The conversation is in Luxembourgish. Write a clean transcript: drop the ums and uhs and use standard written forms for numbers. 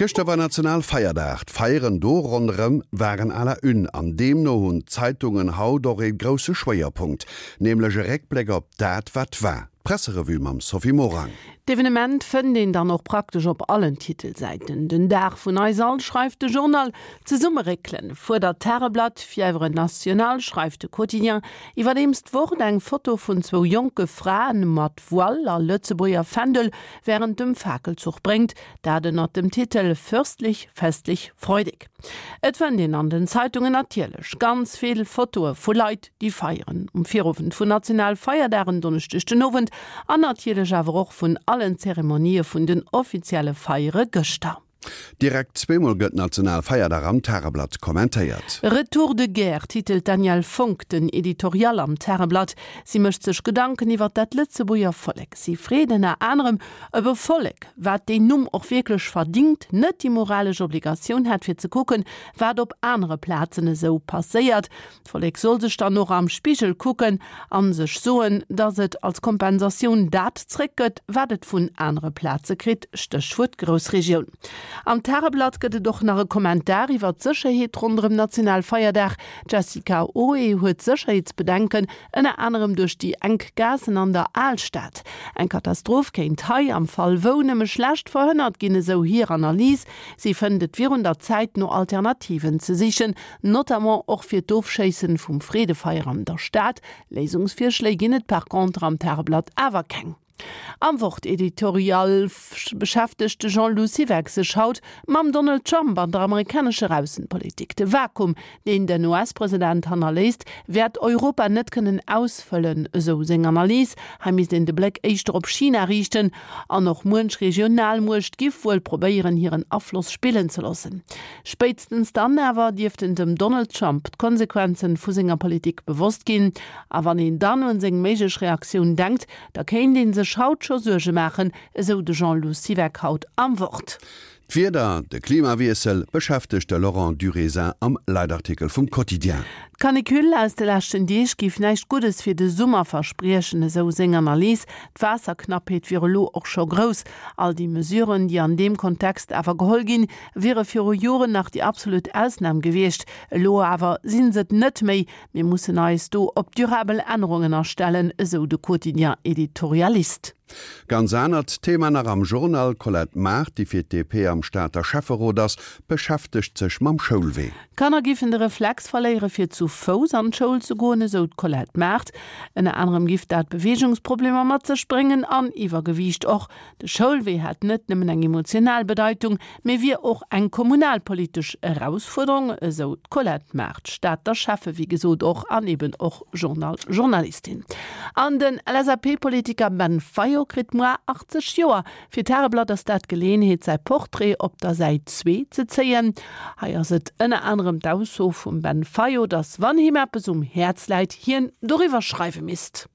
Gëschter war Nationalfeierdag. D'Feieren do ronderëm waren à la une an deemno hunn d'Zeitungen haut och ee grousse Schwéierpunkt, nämlech e Réckbléck op dat wat war. D'Presserevue mam Sophie Morang. D'Evenement fënnt een dann och praktesch op allen Titelsäiten. Den Dag vun eis all, schreift de Journal. Zesummeréckelen, fuerdert d'Tageblatt. Fièvre nationale, schreift de Quotidien. Iwwerdeems d'Wort eng Foto vun zwou jonke Fraen mat Voile a Lëtzebuerger Fändel wärend dem Fakelzuch bréngt, dat ënnert dem Titel Fürstlich, festlich, freudig. Et fënnt een an den Zeitungen natierlech ganz vill Fotoe vu Leit, déi feieren um Virowend vun Nationalfeierdag en Donneschdeg den Owend an natierlech awer och vun allen Zeremonië vun den offizielle Feiere gëschter. Direkt zweemol gëtt Nationalfeierdag am Tageblatt kommentéiert. Retour de guerre titelt d'Danièle Fonck den Editorial am Tageblatt. Si mécht sech Gedanken iwwer dat Lëtzebuerger Vollek. Si freet ënner anerem, ob e Vollek, wat deen Numm och wierklech verdingt, net déi moralesch Obligatioun hätt fir ze kucken, wat op anere Plazen esou passéiert. D'Vollek soll sech dann och am Spigel kucken an sech soen, dass et als Kompensatioun dat zréckgëtt, wat et vun anere Plaze kritt, Stéchwuert Groussregioun. Am Tageblatt gëtt et och nach e Kommentar iwwer d'Sécherheet ronderëm Nationalfeierdag. D'Jessica Oé huet Sécherheetsbedenken, ënner anerem duerch déi enk Gaassen an der Alstad. Eng Katastroph kéint hei, am Fall wou, nëmme schlecht verhënnert ginn, esou hir Analys. Si fënnt et wier un der Zäit, no Alternativen ze sichen, Notamment och fir d'Ofschéissen vum Freedefeier an der Stad. Léisungsvirschléi ginn et par contre am Tageblatt awer keng. Am Wort-Editorial beschäftegt de Jean-Lou Siweck sech haut mam Donald Trump an der amerikanescher Aussenpolitik. De Vakuum, deen den US-President hannerléisst, wäert Europa net kënnen ausfëllen, esou seng Analys. Hei misst een de Bléck éischter op China riichten an och muench Regionalmuecht giff wuel probéieren, hiren Afloss spillen ze loossen. Spéitstens dann awer dierften dem Donald Trump d'Konsequenzen vu senger Politik bewosst ginn. A wann een dann un seng méiglech Reaktioun denkt, da kéint ee sech haut scho Suerge maachen, esou de Jean-Lou Siweck haut am Wort. D'Wieder, de Klimawiessel beschäftegt de Laurent Durézin am Leitartikel vum Quotidien. D'Canicule aus de leschten Deeg géif näischt Guddes fir de Summer verspriechen, esou seng Analys. D'Waasserknappheet wier elo och scho grouss. All déi Mesuren, déi an deem Kontext awer geholl ginn, wiere viru Joren nach déi absolut Ausnam gewiescht. Elo awer si se et net méi. Mir mussen eis do op durabel Ännerungen astellen, esou de Quotidien-Editorialist. Ganz anert Thema nach am Journal, D'Colette Mart, déi fir d'DP am Stater Schäfferot ass, beschäftegt sech mam Schoulwee. D'Kanner giffen de Reflex verléiere fir zu Fouss an d'Schoul ze goen, esou d'Colette Mart. Ënner anerem giff dat Beweegungsproblemer mat sech bréngen an Iwwergewiicht och. De Schoulwee hätt net nëmmen eng emotional Bedeitung, mee wier och eng kommunalpolitesch Erausfuerderung, esou d'Colette Mart, Stater Schäffe wéi gesot och an eben och Journal-Journalistin. An den LSAP-Politiker Ben Fayot kritt muar 80 Joer. Fir d'Tageblatt ass dat d'Geleeënheet säi Portrait op der Säit zwee ze zéien. Hei ass et ënner anerem d'Ausso vum Ben Fayot, datt wann him eppes um Häerz läit, hien doriwwer schreiwe misst.